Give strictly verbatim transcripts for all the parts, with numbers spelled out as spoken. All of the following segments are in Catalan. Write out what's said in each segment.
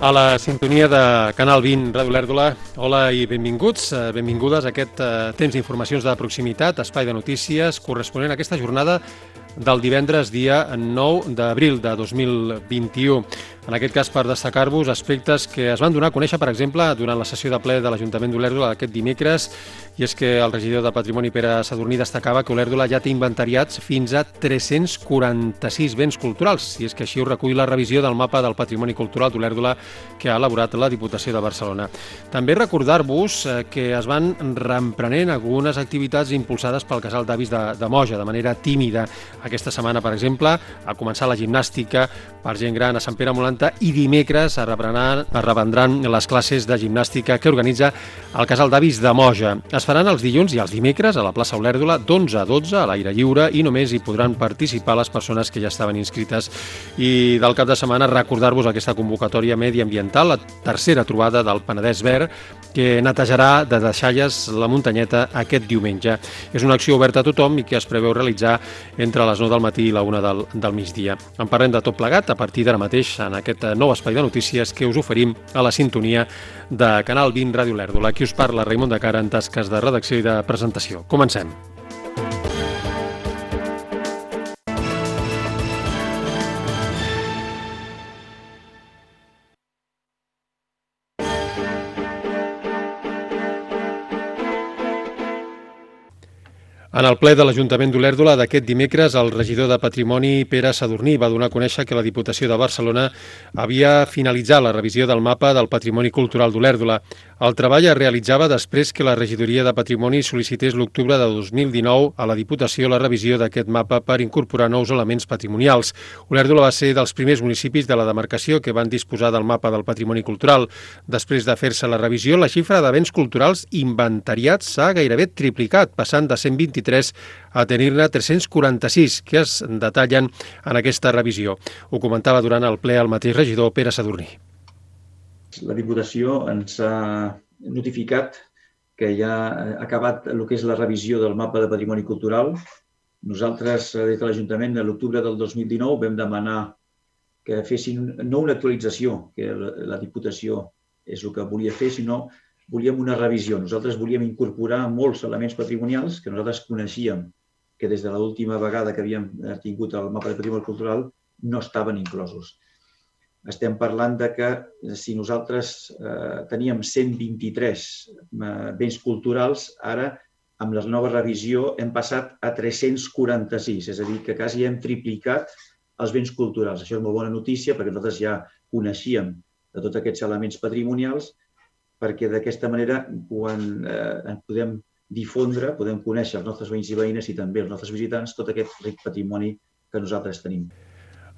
A la sintonia de Canal vint, Ràdio Olèrdola, hola i benvinguts, benvingudes a aquest temps d'informacions de proximitat, espai de notícies, corresponent a aquesta jornada del divendres dia nou d'abril de dos mil vint-i-u. En aquest cas, per destacar-vos aspectes que es van donar a conèixer, per exemple, durant la sessió de ple de l'Ajuntament d'Olèrdola aquest dimecres, i és que el regidor de Patrimoni, Pere Sadurní, destacava que Olèrdola ja té inventariats fins a tres-cents quaranta-sis béns culturals, i és que així ho recull la revisió del mapa del patrimoni cultural d'Olèrdola que ha elaborat la Diputació de Barcelona. També recordar-vos que es van reemprenent algunes activitats impulsades pel casal d'avis de, de Moja, de manera tímida. Aquesta setmana, per exemple, ha començat la gimnàstica per gent gran a Sant Pere Molanta i dimecres es reprendran, es reprendran les classes de gimnàstica que organitza el casal d'avis de Moja. Es faran els dilluns i els dimecres a la plaça Olèrdola d'onze a dotze a l'aire lliure i només hi podran participar les persones que ja estaven inscrites. I del cap de setmana recordar-vos aquesta convocatòria mediambiental, la tercera trobada del Penedès Verd, que netejarà de deixalles la muntanyeta aquest diumenge. És una acció oberta a tothom i que es preveu realitzar entre les nou del matí i la una del, del migdia. En parlem de tot plegat a partir d'ara mateix en aquest nou espai de notícies que us oferim a la sintonia de Canal vint Ràdio Olèrdola. Aquí us parla Raimon de Cara en tasques de redacció i de presentació. Comencem. En el ple de l'Ajuntament d'Olèrdola d'aquest dimecres, el regidor de Patrimoni, Pere Sadurní, va donar a conèixer que la Diputació de Barcelona havia finalitzat la revisió del mapa del patrimoni cultural d'Olèrdola. El treball es realitzava després que la Regidoria de Patrimoni sol·licités l'octubre de dos mil dinou a la Diputació la revisió d'aquest mapa per incorporar nous elements patrimonials. Olèrdola va ser dels primers municipis de la demarcació que van disposar del mapa del patrimoni cultural. Després de fer-se la revisió, la xifra de béns culturals inventariats s'ha gairebé triplicat, passant de cent vint-i-tres a tenir-ne tres-cents quaranta-sis, que es detallen en aquesta revisió. Ho comentava durant el ple el mateix regidor Pere Sadurní. La Diputació ens ha notificat que ja ha acabat el que és la revisió del mapa de patrimoni cultural. Nosaltres, des de l'Ajuntament, a l'octubre del dos mil dinou, vam demanar que fessin no una actualització, que la Diputació és el que volia fer, sinó volíem una revisió. Nosaltres volíem incorporar molts elements patrimonials que nosaltres coneixíem que des de l'última vegada que havíem tingut el mapa de patrimoni cultural no estaven inclosos. Estem parlant de que si nosaltres eh, teníem cent vint-i-tres eh, béns culturals, ara amb la nova revisió hem passat a tres-cents quaranta-sis, és a dir, que quasi hem triplicat els béns culturals. Això és molt bona notícia perquè nosaltres ja coneixíem de tots aquests elements patrimonials, perquè d'aquesta manera, quan eh, podem difondre, podem conèixer els nostres veïns i veïnes i també els nostres visitants tot aquest ric patrimoni que nosaltres tenim.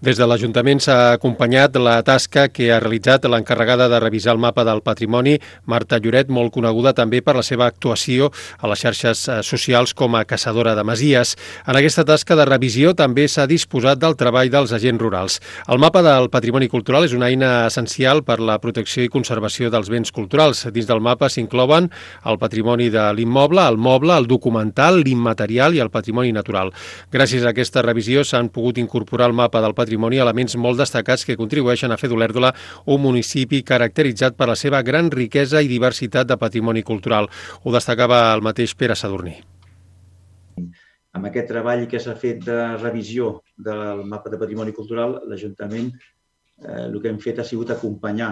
Des de l'Ajuntament s'ha acompanyat la tasca que ha realitzat l'encarregada de revisar el mapa del patrimoni, Marta Lloret, molt coneguda també per la seva actuació a les xarxes socials com a caçadora de masies. En aquesta tasca de revisió també s'ha disposat del treball dels agents rurals. El mapa del patrimoni cultural és una eina essencial per la protecció i conservació dels béns culturals. Dins del mapa s'inclouen el patrimoni de l'immoble, el moble, el documental, l'immaterial i el patrimoni natural. Gràcies a aquesta revisió s'han pogut incorporar al mapa del patrimoni elements molt destacats que contribueixen a fer d'Olèrdola un municipi caracteritzat per la seva gran riquesa i diversitat de patrimoni cultural. Ho destacava el mateix Pere Sadurní. Amb aquest treball que s'ha fet de revisió del mapa de patrimoni cultural, l'Ajuntament eh, el que hem fet ha sigut acompanyar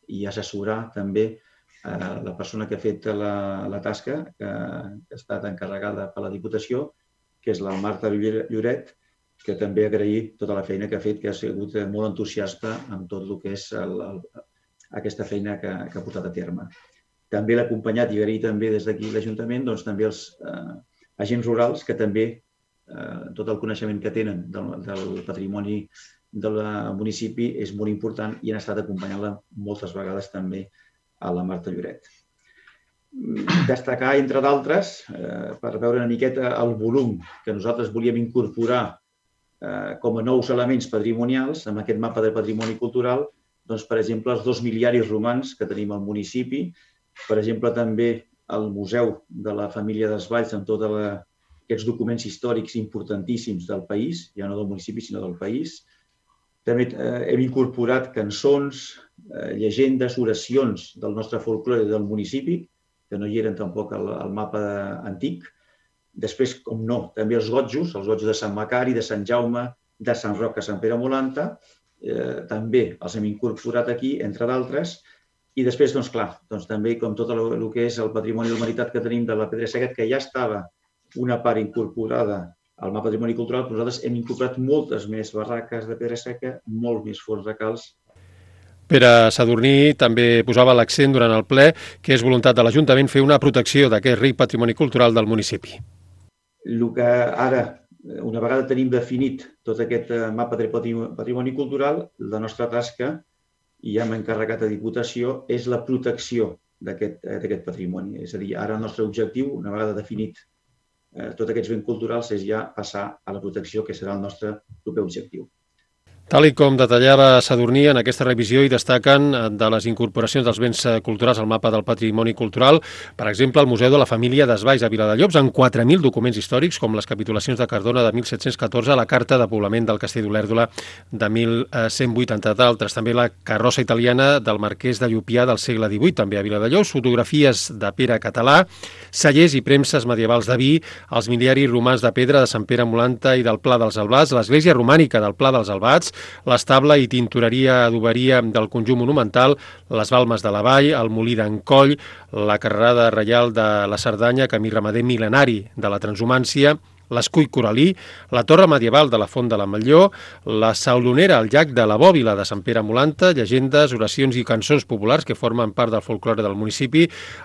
i assessorar també eh, la persona que ha fet la, la tasca, que, que ha estat encarregada per la Diputació, que és la Marta Lloret, que també agrair tota la feina que ha fet, que ha sigut molt entusiasta amb tot el que és el, el, aquesta feina que, que ha portat a terme. També l'ha acompanyat i agrair també des d'aquí l'Ajuntament doncs, també els eh, agents rurals que també eh, tot el coneixement que tenen del, del patrimoni del municipi és molt important i han estat acompanyant-la moltes vegades també a la Marta Lloret. Destacar, entre d'altres, eh, per veure una miqueta el volum que nosaltres volíem incorporar com a nous elements patrimonials amb aquest mapa de patrimoni cultural, doncs, per exemple, els dos miliaris romans que tenim al municipi, per exemple, també el Museu de la Família Desvalls amb tots aquests documents històrics importantíssims del país, ja no del municipi, sinó del país, També eh, hem incorporat cançons, eh, llegendes, oracions del nostre folklore del municipi, que no hi eren tampoc al, al mapa antic. Després, com no, també els gotjos, els gotjos de Sant Macari, de Sant Jaume, de Sant Roc a Sant Pere Molanta, eh, també els hem incorporat aquí, entre d'altres. I després, doncs clar, doncs, també com tot el, el que és el patrimoni humanitat que tenim de la Pedra Seca, que ja estava una part incorporada al mapa patrimoni cultural, però nosaltres hem incorporat moltes més barraques de pedra seca, molt més forns recals. Pere Sadurní també posava l'accent durant el ple que és voluntat de l'Ajuntament fer una protecció d'aquest ric patrimoni cultural del municipi. El que ara, una vegada tenim definit tot aquest mapa de patrimoni cultural, la nostra tasca, i ja hem encarregat a Diputació, és la protecció d'aquest patrimoni. És a dir, ara el nostre objectiu, una vegada definit tots aquests béns culturals, és ja passar a la protecció, que serà el nostre proper objectiu. Tal i com detallava Sadurní, en aquesta revisió hi destaquen de les incorporacions dels béns culturals al mapa del patrimoni cultural, per exemple, el Museu de la Família d'Esvalls a Viladellobs, amb quatre mil documents històrics, com les capitulacions de Cardona de mil set-cents catorze, la Carta de Poblament del Castell d'Olèrdola de mil cent vuitanta d'altres, també la carrossa italiana del Marquès de Llupià del segle divuit, també a Viladellobs, fotografies de Pere Català, cellers i premses medievals de vi, els miliaris romans de pedra de Sant Pere Molanta i del Pla dels Albats, l'església romànica del Pla dels Albats, l'estable i tintoreria adoberia del conjunt monumental, les balmes de la vall, el molí d'en Coll, la carrerada reial de la Cerdanya, camí ramader mil·lenari de la transhumància, l'escull coralí, la torre medieval de la Font de la Matlló, la saulonera al llac de la Bòbila de Sant Pere Molanta, llegendes, oracions i cançons populars que formen part del folklore del municipi,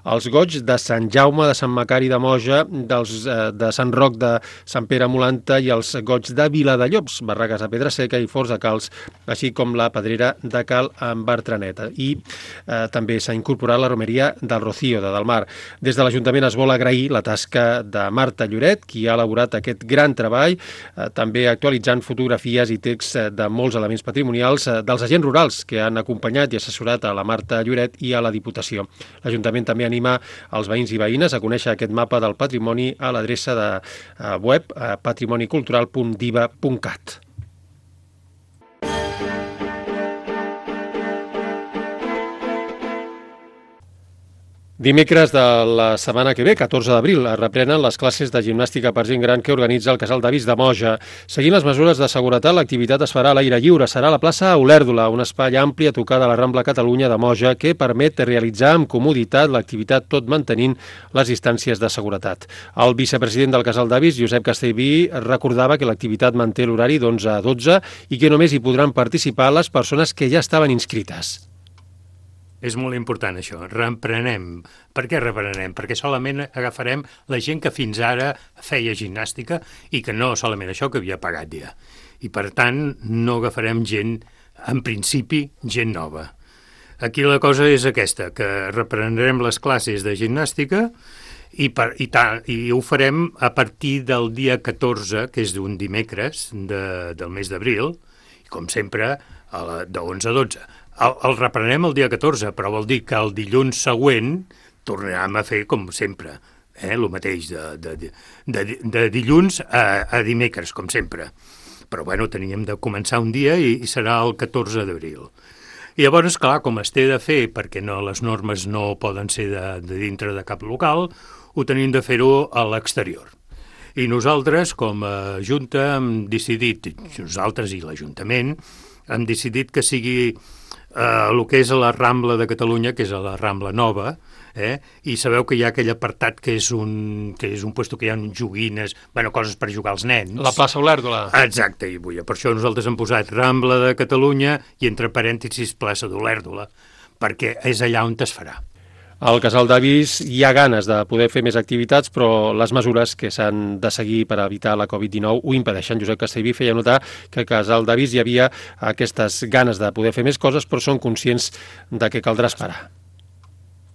els goigs de Sant Jaume, de Sant Macari de Moja, dels, eh, de Sant Roc de Sant Pere Molanta i els goigs de Viladellobs, barraques de pedra seca i forts de calç, així com la pedrera de Cal en Bertraneta. I eh, també s'ha incorporat la romeria del Rocío, de Delmar. Des de l'Ajuntament es vol agrair la tasca de Marta Lloret, qui ha elaborat aquest gran treball, eh, també actualitzant fotografies i texts eh, de molts elements patrimonials eh, dels agents rurals que han acompanyat i assessorat a la Marta Lloret i a la Diputació. L'Ajuntament també anima els veïns i veïnes a conèixer aquest mapa del patrimoni a l'adreça de eh, web eh, patrimonicultural punt diva punt cat. Dimecres de la setmana que ve, catorze d'abril, es reprenen les classes de gimnàstica per gent gran que organitza el Casal d'Avis de Moja. Seguint les mesures de seguretat, l'activitat es farà a l'aire lliure. Serà a la plaça Olèrdola, un espai ampli a tocar de la Rambla Catalunya de Moja que permet realitzar amb comoditat l'activitat tot mantenint les distàncies de seguretat. El vicepresident del Casal d'Avis, Josep Castellví, recordava que l'activitat manté l'horari d'onze a dotze i que només hi podran participar les persones que ja estaven inscrites. És molt important això, reprenem. Per què reprenem? Perquè solament agafarem la gent que fins ara feia gimnàstica i que no solament això, que havia pagat ja. I per tant no agafarem gent, en principi, gent nova. Aquí la cosa és aquesta, que reprendrem les classes de gimnàstica i, per, i, ta, i ho farem a partir del dia catorze, que és d'un dimecres de, del mes d'abril, i com sempre, a la, de onze a dotze. El, el reprenem el dia catorze, però vol dir que el dilluns següent tornarem a fer com sempre, eh, el mateix, de, de, de, de dilluns a, a dimecres, com sempre. Però bueno, teníem de començar un dia i, i serà el catorze d'abril. I llavors, clar, com es té de fer, perquè no, les normes no poden ser de, de dintre de cap local, ho tenim de fer-ho a l'exterior. I nosaltres, com a Junta, hem decidit, nosaltres i l'Ajuntament, hem decidit que sigui Uh, el que és a la Rambla de Catalunya, que és a la Rambla Nova, eh? I sabeu que hi ha aquell apartat que és un, que és un puesto que hi ha joguines, bueno, coses per jugar als nens. La plaça Olèrdola. Exacte, i vull, per això nosaltres hem posat Rambla de Catalunya i entre parèntesis plaça d'Olèrdola, perquè és allà on es farà. Al Casal d'Avis hi ha ganes de poder fer més activitats, però les mesures que s'han de seguir per evitar la covid dinou ho impedeixen. Josep Castellví feia notar que al Casal d'Avis hi havia aquestes ganes de poder fer més coses, però són conscients de que caldrà esperar.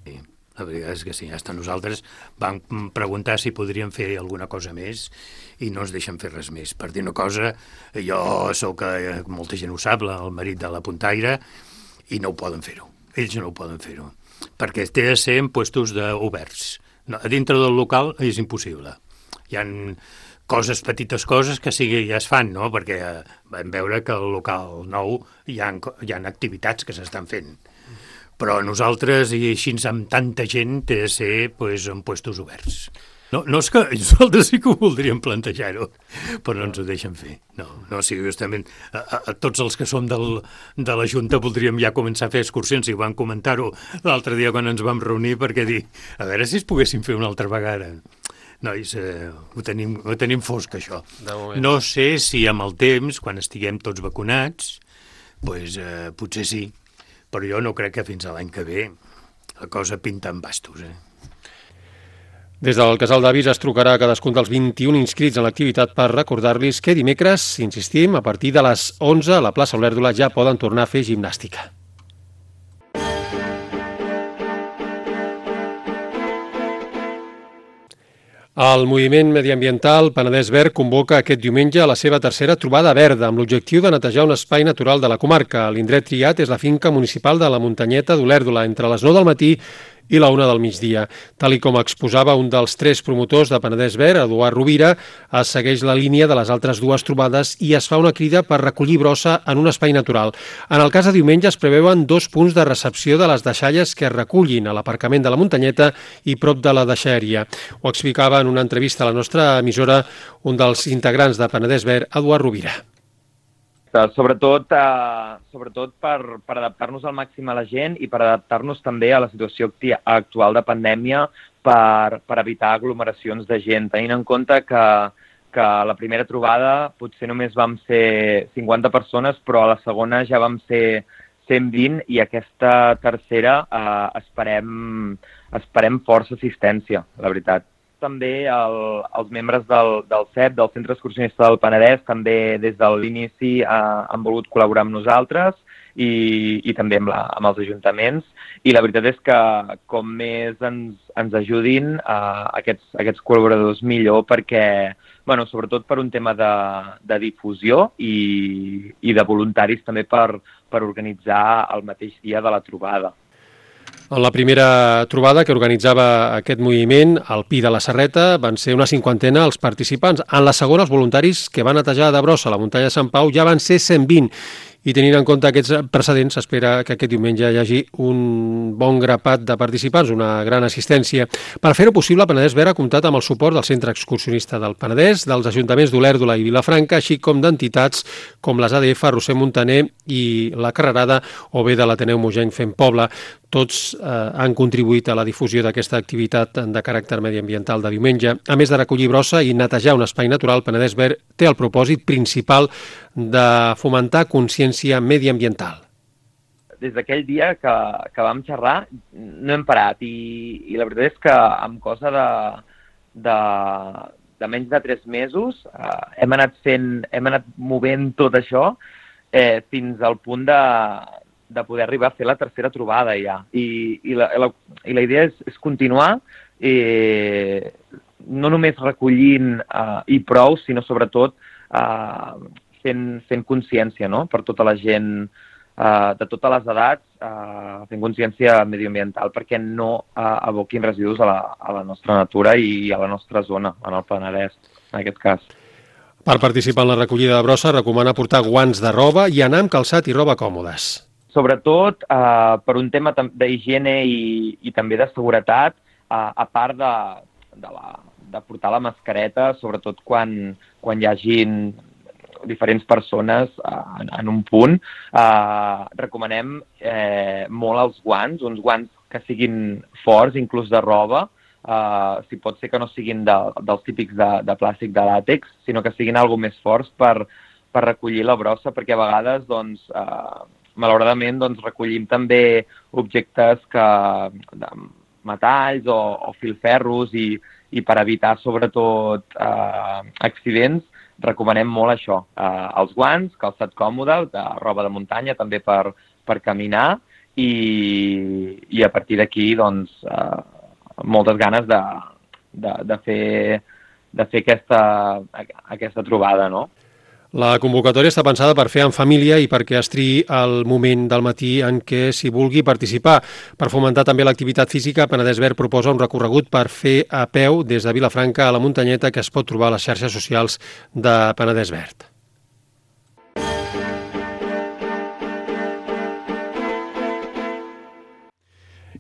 Sí, la veritat és que sí. Hasta nosaltres vam preguntar si podríem fer alguna cosa més i no ens deixen fer res més. Per dir una cosa, jo sóc, molta gent ho sap, el marit de la puntaire, i no ho poden fer-ho. Ells no ho poden fer-ho. Perquè té de ser en puestos de oberts. No, a dintre del local és impossible. Hi ha coses, petites coses que sí que ja es fan, no? Perquè vam veure que al local nou hi ha, hi ha activitats que s'estan fent. Però nosaltres, i així amb tanta gent, té de ser pues, en puestos oberts. No, no és que nosaltres sí que ho voldríem plantejar-ho, però no ens ho deixen fer. No, no, sí, justament a, a, a tots els que som del, de la Junta voldríem ja començar a fer excursions, i vam comentar-ho l'altre dia quan ens vam reunir, perquè dir, a veure si es poguessin fer una altra vegada. Nois, eh, ho, tenim, ho tenim fosc, això. No sé si amb el temps, quan estiguem tots vacunats, pues, eh, potser sí, però jo no crec que fins a l'any que ve la cosa pinta en bastos, eh? Des del Casal d'Avis es trucarà a cadascun dels vint-i-un inscrits en l'activitat per recordar-los que dimecres, insistim, a partir de les onze a la plaça Olèrdola ja poden tornar a fer gimnàstica. El moviment mediambiental Penedès Verd convoca aquest diumenge a la seva tercera trobada verda amb l'objectiu de netejar un espai natural de la comarca. L'indret triat és la finca municipal de la Muntanyeta d'Olèrdola entre les nou del matí i la una del migdia. Tal i com exposava un dels tres promotors de Penedès Verd, Eduard Rovira, es segueix la línia de les altres dues trobades i es fa una crida per recollir brossa en un espai natural. En el cas de diumenge es preveuen dos punts de recepció de les deixalles que es recullin a l'aparcament de la Muntanyeta i prop de la deixeria. Ho explicava en una entrevista a la nostra emissora un dels integrants de Penedès Verd, Eduard Rovira. Sobretot, eh, sobretot per, per adaptar-nos al màxim a la gent i per adaptar-nos també a la situació actual de pandèmia per, per evitar aglomeracions de gent, tenint en compte que, que a la primera trobada potser només vam ser cinquanta persones, però a la segona ja vam ser cent vint i aquesta tercera eh, esperem, esperem força assistència, la veritat. També el, els membres del, del C E P, del Centre Excursionista del Penedès, també des de l'inici eh, han volgut col·laborar amb nosaltres i, i també amb, la, amb els ajuntaments. I la veritat és que com més ens, ens ajudin eh, aquests, aquests col·laboradors millor, perquè, bueno, sobretot per un tema de, de difusió i, i de voluntaris també per, per organitzar el mateix dia de la trobada. En la primera trobada que organitzava aquest moviment, al Pi de la Serreta, van ser una cinquantena els participants. En la segona, els voluntaris que van netejar de brossa a la muntanya de Sant Pau ja van ser cent vint. I tenint en compte aquests precedents, s'espera que aquest diumenge hi hagi un bon grapat de participants, una gran assistència. Per fer-ho possible, Penedès Verd ha comptat amb el suport del Centre Excursionista del Penedès, dels ajuntaments d'Olèrdola i Vilafranca, així com d'entitats com les A D F, Roser Montaner i la Carrerada, o bé de l'Ateneu Mogenc Fem Poble. Tots eh, han contribuït a la difusió d'aquesta activitat de caràcter mediambiental de diumenge. A més de recollir brossa i netejar un espai natural, Penedès Verd té el propòsit principal de fomentar consciència mediambiental. Des d'aquell dia que, que vam xerrar no hem parat i, i la veritat és que amb cosa de, de, de menys de tres mesos eh, hem anat fent, hem anat movent tot això eh, fins al punt de, de poder arribar a fer la tercera trobada ja. I, i, la, la, i la idea és, és continuar eh, no només recollint eh, i prou, sinó sobretot eh, fent, fent consciència, no?, per tota la gent eh, de totes les edats, eh, fent consciència mediambiental perquè no eh, aboquin residus a la, a la nostra natura i a la nostra zona, en el Penedès, en aquest cas. Per participar en la recollida de brossa, recomana portar guants de roba i anar amb calçat i roba còmodes. Sobretot eh, per un tema d'higiene i, i també de seguretat, eh, a part de, de, la, de portar la mascareta, sobretot quan, quan hi hagin diferents persones eh, en, en un punt, eh, recomanem eh, molt els guants, uns guants que siguin forts, inclús de roba, eh, si pot ser que no siguin de, dels típics de, de plàstic de làtex, sinó que siguin algo més forts per, per recollir la brossa, perquè a vegades, doncs, eh, malauradament, doncs, recollim també objectes que, de metalls o, o filferros i, i per evitar, sobretot, eh, accidents, recomanem molt això, eh, els guants, calçat còmode, de roba de muntanya, també per, per caminar i, i a partir d'aquí, doncs, eh, moltes ganes de, de, de, fer, de fer aquesta, aquesta trobada, no? La convocatòria està pensada per fer en família i perquè es triï el moment del matí en què s'hi vulgui participar. Per fomentar també l'activitat física, Penedès Verd proposa un recorregut per fer a peu des de Vilafranca a la Muntanyeta que es pot trobar a les xarxes socials de Penedès Verd.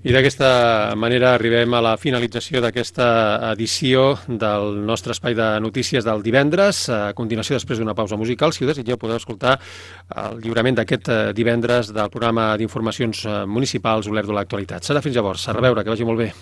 I d'aquesta manera arribem a la finalització d'aquesta edició del nostre espai de notícies del divendres. A continuació, després d'una pausa musical, si ho desitgeu, podeu escoltar el lliurament d'aquest divendres del programa d'informacions municipals Olert de l'actualitat. Serà fins llavors. A reveure, que vagi molt bé.